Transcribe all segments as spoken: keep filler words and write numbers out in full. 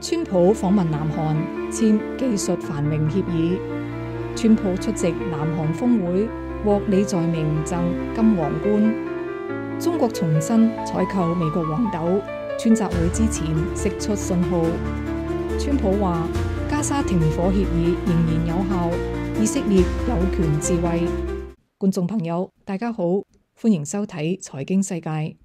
川普訪問南韓，簽技術繁榮協議。川普出席南韓峰會，獲李在明贈金皇冠。中國重新採購美國黃豆，川習會之前釋出信號。川普話加沙停火協議仍然有效，以色列有權自衛。觀眾朋友，大家好，歡迎收睇財經世界。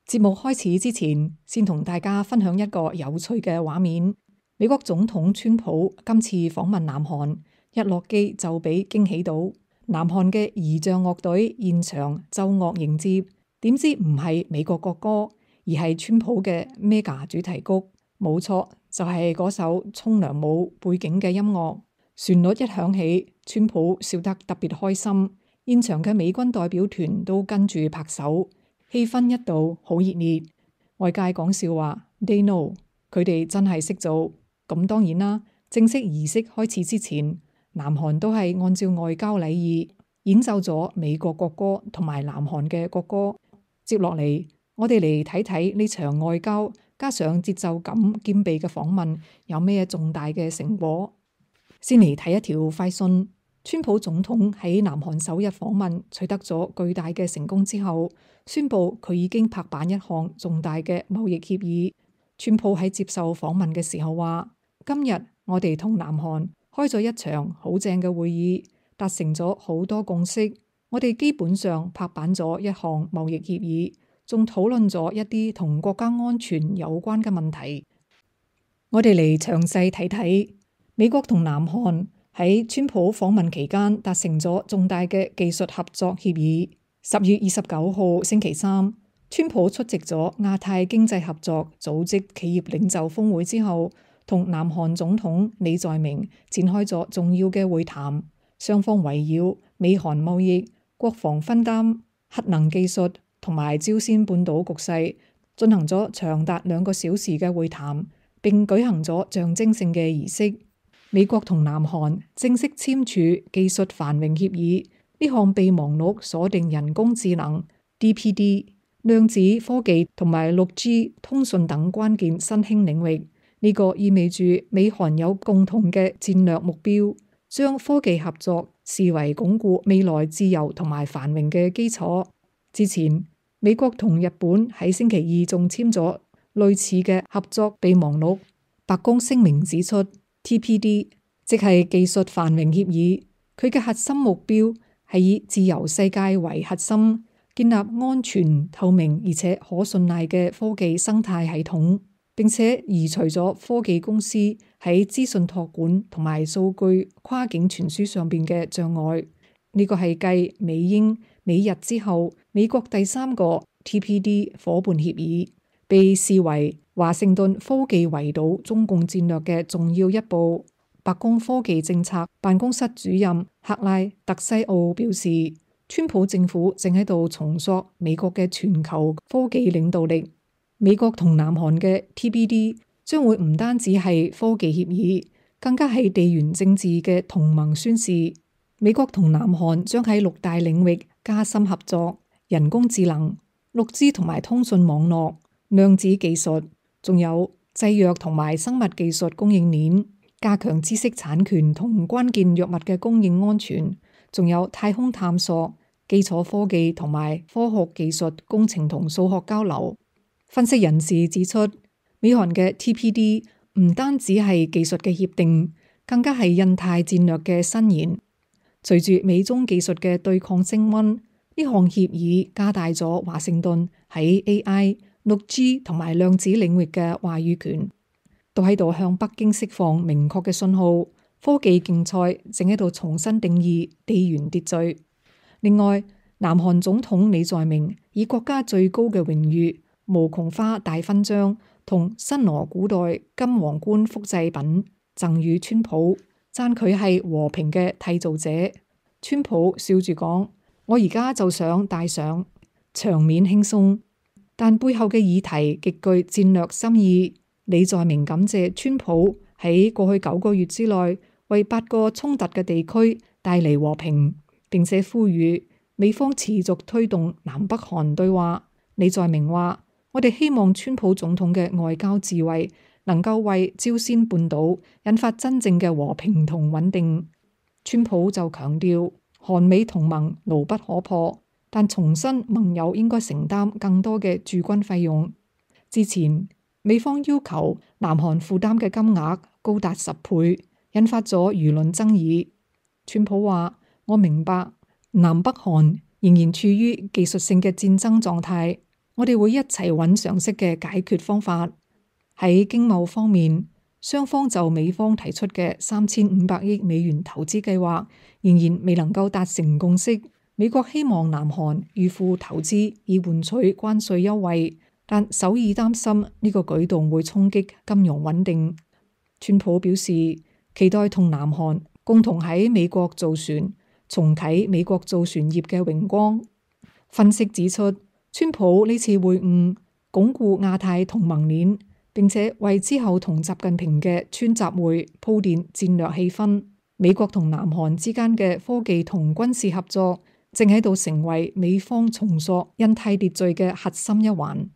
節目開始之前，先同大家分享一個有趣嘅畫面。美國總統川普今次訪問南韓，一落機就俾驚喜到，南韓嘅儀仗樂隊現場奏樂迎接，點知唔係美國國歌，而係川普嘅 Mega 主題曲。冇錯，就係嗰首沖涼舞背景嘅音樂。旋律一響起，川普笑得特別開心，現場嘅美軍代表團都跟住拍手。氣氛一度好熱烈，外界講笑話 They know， 佢哋真係識做。咁當然啦，正式儀式開始之前，南韓都係按照外交禮儀演奏咗美國國歌同埋南韓嘅國歌。接落嚟，我哋嚟睇睇呢場外交加上節奏感兼備嘅訪問有咩重大嘅成果。先嚟睇一條快訊。川普總統喺南韓首日訪問取得咗巨大嘅成功之後，宣布佢已經拍板一項重大嘅貿易協議。川普喺接受訪問嘅時候話：今日我哋同南韓開咗一場好正嘅會議，達成咗好多共識。我哋基本上拍板咗一項貿易協議，仲討論咗一啲同國家安全有關嘅問題。我哋嚟詳細睇睇美國同南韓喺川普訪問期間達成咗重大嘅技術合作協議。十月二十九號星期三，川普出席咗亞太經濟合作組織企業領袖峰會之後，同南韓總統李在明展開咗重要嘅會談。雙方圍繞美韓貿易、國防分擔、核能技術同埋朝鮮半島局勢進行咗長達兩個小時嘅會談，並舉行咗象徵性嘅儀式。美國同南韓正式簽署技術繁榮協議，呢項備忘錄鎖定人工智能、D P D、量子科技同埋六 G 通訊等關鍵新興領域。呢個意味住美韓有共同嘅戰略目標，將科技合作視為鞏固未來自由同埋繁榮嘅基礎。之前，美國同日本喺星期二仲簽咗類似嘅合作備忘錄。白宮聲明指出，T P D 即係技術繁榮協議，佢嘅核心目標係以自由世界為核心，建立安全、透明而且可信賴嘅科技生態系統，並且移除咗科技公司喺資訊託管同埋數據跨境傳輸上邊嘅障礙。呢個係繼美英美日之後，美國第三個 T P D 夥伴協議，被視為華盛頓科技圍堵中共戰略嘅重要一步。白宮科技政策辦公室主任克拉特西奧表示，川普政府正喺度重塑美國嘅全球科技領導力。美國同南韓嘅 T P D 將會唔單止係科技協議，更加係地緣政治嘅同盟宣示。美國同南韓將喺六大領域加深合作：人工智能、六 G 同埋通訊網絡、量子技術，仲有製藥同埋生物技術供應鏈，加強知識產權同關鍵藥物嘅供應安全，仲有太空探索、基礎科技同埋科學技術工程同數學交流。分析人士指出，美韓嘅 T P D 唔單止係技術嘅協定，更加係印太戰略嘅伸延。隨住美中技術嘅對抗升溫，呢項協議加大咗華盛頓喺 A I、六 G 同埋量子領域嘅話語權，都喺度向北京釋放明確嘅信號。科技競賽正喺度重新定義地緣秩序。另外，南韓總統李在明以國家最高嘅榮譽無窮花大勳章同新羅古代金皇冠複製品贈予川普，讚佢係和平嘅締造者。川普笑住講：我而家就想戴上。場面輕鬆，但背後嘅議題極具戰略深意。李在明感謝川普喺過去九個月之內為八個衝突嘅地區帶嚟和平，並且呼籲美方持續推動南北韓對話。李在明話：我哋希望川普總統嘅外交智慧能夠為朝鮮半島引發真正嘅和平同穩定。川普就強調，韓美同盟牢不可破，但重申盟友應該承擔更多嘅駐軍費用。之前美方要求南韓負擔嘅金額高達十倍，引發咗輿論爭議。川普話：我明白南北韓仍然處於技術性嘅戰爭狀態，我哋會一齊揾常識嘅解決方法。喺經貿方面，雙方就美方提出嘅三千五百億美元投資計劃仍然未能夠達成共識。美國希望南韓預付投資以換取關稅優惠，但首爾擔心呢個舉動會衝擊金融穩定。川普表示期待同南韓共同喺美國造船，重啟美國造船業嘅榮光。分析指出，川普呢次會晤鞏固亞太同盟鏈，並且為之後同習近平嘅川習會鋪墊戰略氣氛。美國同南韓之間嘅科技同軍事合作正喺度成為美方重塑印太秩序嘅核心一環。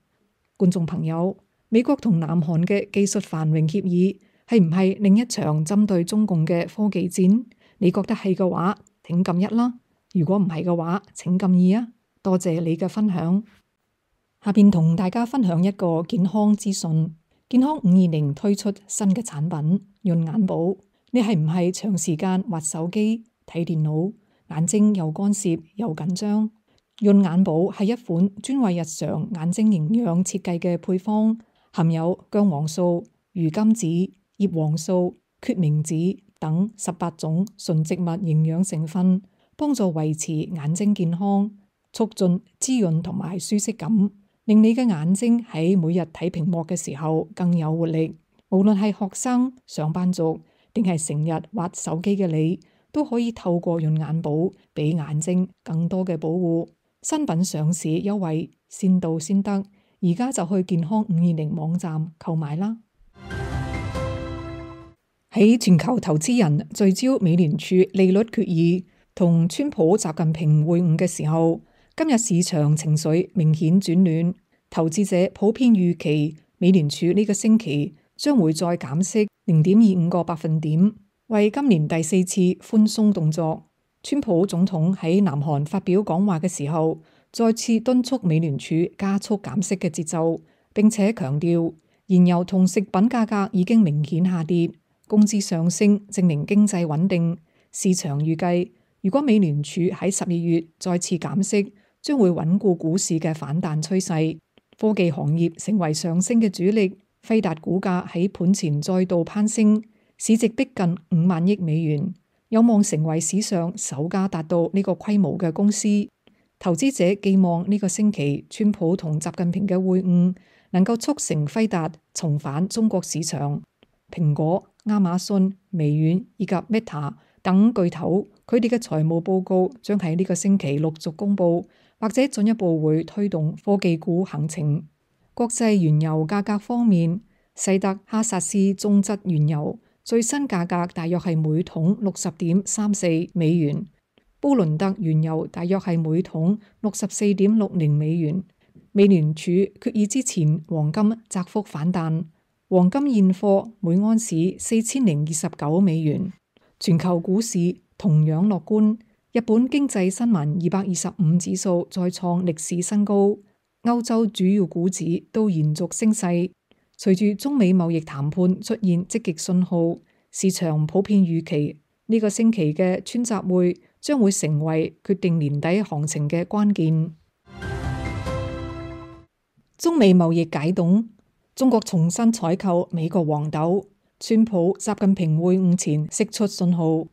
觀眾朋友，美國同南韓嘅技術繁榮協議係唔係另一場針對中共嘅科技戰？你覺得係嘅話，請撳一啦；如果唔係嘅話，請撳二啊！多謝你嘅分享。下邊同大家分享一個健康資訊。健康五二零推出新嘅產品潤眼寶。你係唔係長時間滑手機睇電腦，眼睛又乾澀又緊張？潤眼寶係一款專為日常眼睛營養設計嘅配方，含有薑黃素、魚甘子、葉黃素、決明子等十八種純植物營養成分，幫助維持眼睛健康，促進滋潤同埋舒適感，令你嘅眼睛喺每日睇屏幕嘅時候更有活力。無論係學生、上班族定係成日滑手機嘅你，都可以透過潤眼寶俾眼睛更多嘅保護。新品上市優惠先到先得，而家就去健康五二零網站購買啦。喺全球投資人聚焦美聯儲利率決議同川普習近平會晤嘅時候，今日市場情緒明顯轉暖，投資者普遍預期美聯儲呢個星期將會再減息零點二五個百分點，為今年第四次寬鬆動作。川普總統喺南韓發表講話嘅時候，再次敦促美聯儲加速減息嘅節奏，並且強調燃油同食品價格已經明顯下跌，工資上升證明經濟穩定。市場預計，如果美聯儲喺十二月再次減息，將會穩固股市嘅反彈趨勢。科技行業成為上升嘅主力。輝達股價喺盤前再度攀升，市值逼近五萬億美元，有望成為史上首家達到呢個規模嘅公司。投資者寄望呢個星期川普同習近平嘅會晤能夠促成輝達重返中國市場。蘋果、亞馬遜、微軟以及 Meta 等巨頭，佢哋嘅財務報告將喺呢個星期陸續公布，或者進一步會推動科技股行情。國際原油價格方面，西德哈薩斯中質原油最新價格大約係每桶六十點三四美元，布倫特原油大約係每桶六十四點六零美元。美聯儲決議之前，黃金窄幅反彈，黃金現貨每安士四千零二十九美元。全球股市同樣樂觀，日本經濟新聞二百二十五指數再創歷史新高。歐洲主要股指都延續升勢，隨住中美貿易談判出現積極信號，市場普遍預期呢個星期嘅川習會將會成為決定年底行情嘅關鍵。中美貿易解凍，中國重新採購美國黃豆，川普習近平會晤前釋出信號。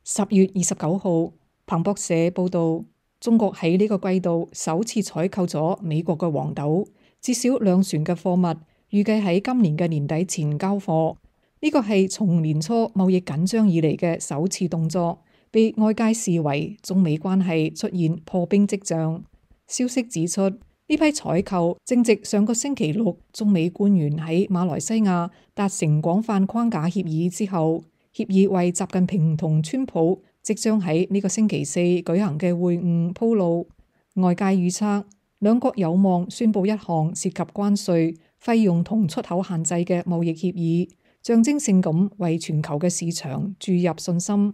十月二十九號，彭博社報道，中國喺呢個季度首次採購咗美國嘅黃豆，至少兩船嘅貨物，預計喺今年嘅年底前交貨。呢個係從年初貿易緊張以嚟嘅首次動作，被外界視為中美關係出現破冰跡象。消息指出，呢批採購正值上個星期六中美官員喺馬來西亞達成廣泛框架協議之後，協議為習近平同川普即將喺呢個星期四舉行嘅會晤鋪路。外界預測兩國有望宣布一項涉及關稅、費用同出口限制嘅貿易協議，象徵性咁為全球嘅市場注入信心。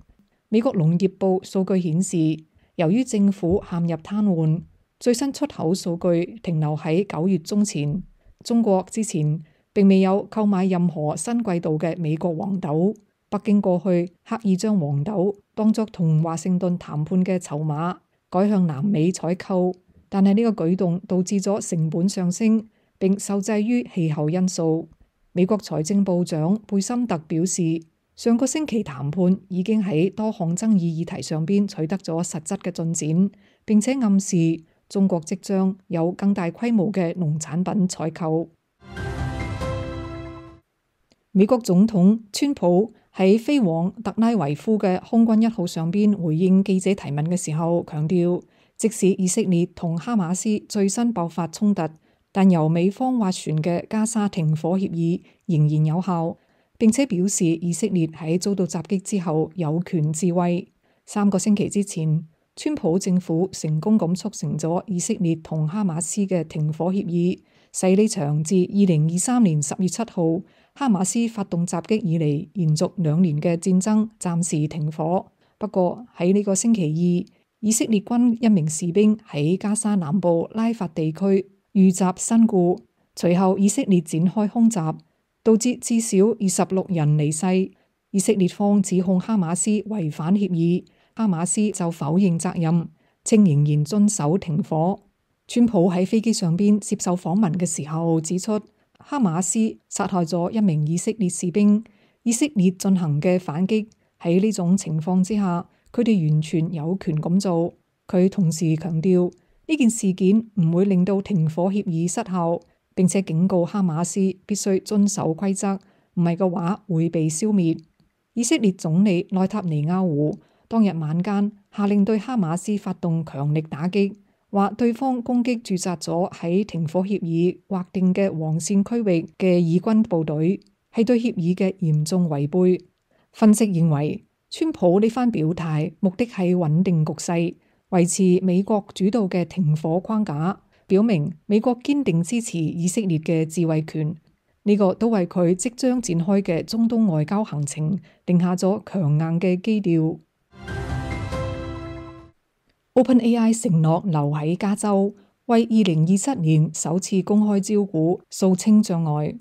美國農業部數據顯示，由於政府陷入癱瘓，最新出口數據停留喺九月中前。中國之前並未有購買任何新季度嘅美國黃豆。北京過去刻意將黃豆當作同華盛頓談判嘅籌碼，改向南美採購，但係呢個舉動導致咗成本上升，並受制於氣候因素。美國財政部長貝森特表示，上個星期談判已經喺多項爭議議題上邊取得咗實質嘅進展，並且暗示中國即將有更大規模嘅農產品採購。美國總統川普喺飛往特拉維夫嘅空軍一號上邊回應記者提問嘅時候，強調即使以色列同哈馬斯最新爆發衝突，但由美方斡旋嘅加沙停火協議仍然有效，並且表示以色列喺遭到襲擊之後有權自衛。三個星期之前，川普政府成功咁促成咗以色列同哈馬斯嘅停火協議，使呢場自二零二三年十月七號哈馬斯發動襲擊以嚟延續兩年嘅戰爭暫時停火。不過喺呢個星期二，以色列軍一名士兵喺加沙南部拉法地區遇襲身故，隨後以色列展開空襲，導致至少二十六人離世。以色列方指控哈馬斯違反協議，哈馬斯就否認責任，稱仍然遵守停火。川普喺飛機上邊接受訪問嘅時候指出，哈馬斯殺害咗一名以色列士兵，以色列進行嘅反擊喺呢種情況之下，佢哋完全有權咁做。佢同時強調呢件事件唔會令到停火協議失效，並且警告哈馬斯必須遵守規則，唔係嘅話會被消滅。以色列總理內塔尼亞胡當日晚間下令對哈馬斯發動強力打擊，話對方攻擊駐紮咗喺停火協議劃定嘅黃線區域嘅以軍部隊，係對協議嘅嚴重違背。分析認為，川普呢番表態目的係穩定局勢，維持美國主導嘅停火框架，表明美國堅定支持以色列嘅自衛權。呢個都為佢即將展開嘅中東外交行程定下咗強硬嘅基調。OpenAI 承諾留喺加州，為二零二七年首次公開招股掃清障礙。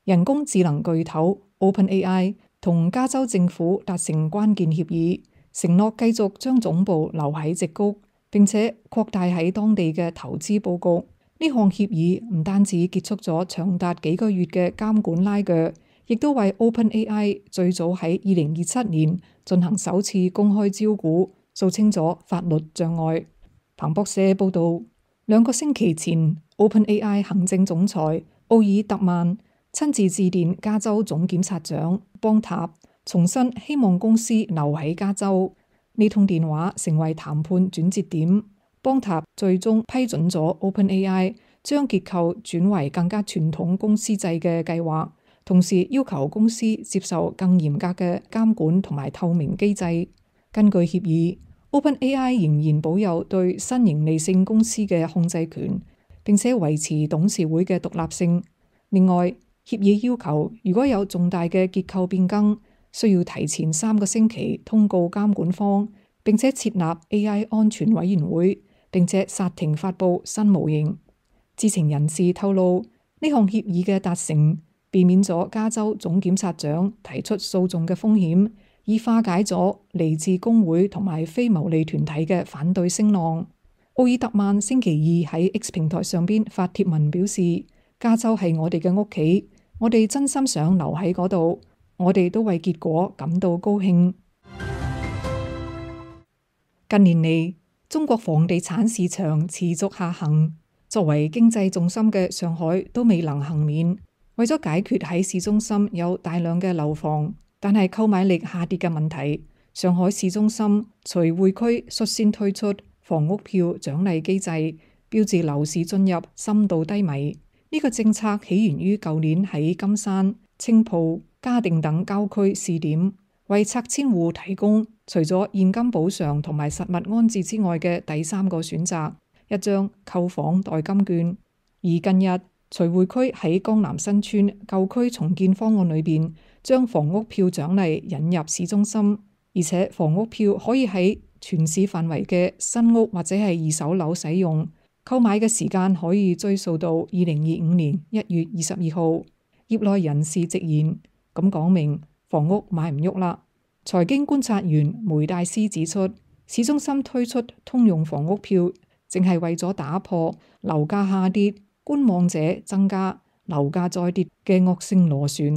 人工智能巨頭 OpenAI 同加州政府達成關鍵協議，承諾繼續將總部留喺矽谷，並且擴大喺當地嘅投資佈局。呢項協議唔單止結束咗長達幾個月嘅監管拉鋸，亦都為 OpenAI 最早喺二零二七年進行首次公開招股掃清咗法律障礙。彭博社報道，兩個星期前 OpenAI 行政總裁奧爾特曼親自致電加州總檢察長邦塔，重申希望公司留喺加州。呢通電話成為談判轉折點。邦塔最終批准咗 OpenAI 將結構轉為更加傳統公司制嘅計劃，同時要求公司接受更嚴格嘅監管同埋透明機制。根據協議，OpenAI 仍然保有對新盈利性公司嘅控制權，並且維持董事會嘅獨立性。另外，協議要求如果有重大嘅結構變更，需要提前三個星期通告監管方，並且設立 A I 安全委員會，並且剎停發佈新模型。知情人士透露，呢項協議嘅達成，避免咗加州總檢察長提出訴訟嘅風險，以化解咗嚟自工會同埋非牟利團體嘅反對聲浪。奧爾特曼星期二喺 X 平台上邊發帖文表示，加州係我哋嘅屋企，我哋真心想留喺嗰度，我哋都為結果感到高興。近年嚟，中國房地產市場持續下行，作為經濟重心嘅上海都未能幸免。為咗解決喺市中心有大量嘅樓房，但係購買力下跌嘅問題，上海市中心隨會區率先推出房屋票獎勵機制，標誌樓市進入深度低迷。呢個政策起源於舊年喺金山、青浦、嘉定等郊區試點，為拆遷戶提供除咗現金補償同埋實物安置之外嘅第三個選擇，一張購房代金券。而近日徐匯區喺江南新村舊區重建方案裏邊，將房屋票獎勵引入市中心，而且房屋票可以喺全市範圍嘅新屋或者係二手樓使用，購買嘅時間可以追溯到二零二五年一月二十二號。業內人士直言，咁講明房屋買唔喐啦。財經觀察員梅大師指出，市中心推出通用房屋票，淨係為咗打破樓價下跌、觀望者增加、樓價再跌嘅惡性螺旋。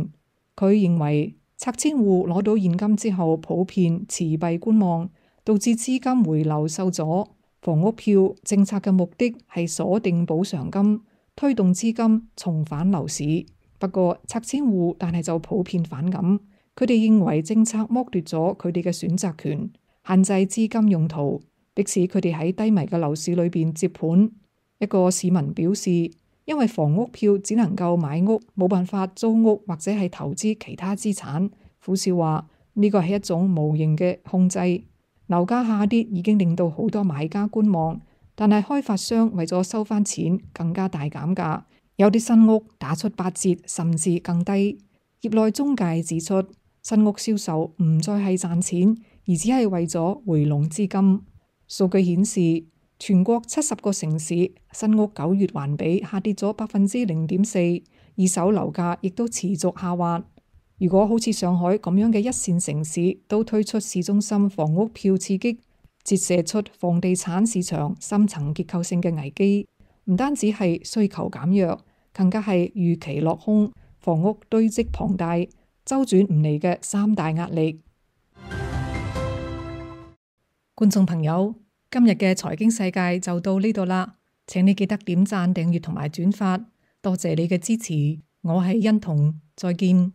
佢認為拆遷戶攞到現金之後，普遍持幣觀望，導致資金回流受阻。房屋票政策嘅目的係鎖定補償金，推動資金重返樓市。不過拆遷戶但係就普遍反感，佢哋認為政策剝奪咗佢哋嘅選擇權，限制資金用途，迫使佢哋喺低迷嘅樓市裏邊接盤。一個市民表示，因為房屋票只能夠買屋，冇辦法租屋或者係投資其他資產。苦笑話呢個係一種無形嘅控制。樓價下跌已經令到好多買家觀望，但係開發商為咗收翻錢，更加大減價。有啲新屋打出八折甚至更低。業內中介指出，新屋銷售唔再係賺錢，而只係為咗回籠資金。數據顯示，全國七十個城市新屋九月環比下跌咗百分之零點四，二手樓價亦都持續下滑。如果好似上海咁樣嘅一線城市都推出市中心房屋票刺激，折射出房地產市場深層結構性嘅危機。唔單止係需求減弱，更加係預期落空，房屋堆積龐大，周轉唔嚟嘅三大壓力。觀眾朋友，今日嘅財經世界就到呢度啦，請你記得點讚、訂閱同埋轉發，多謝你嘅支持。我係欣彤，再見。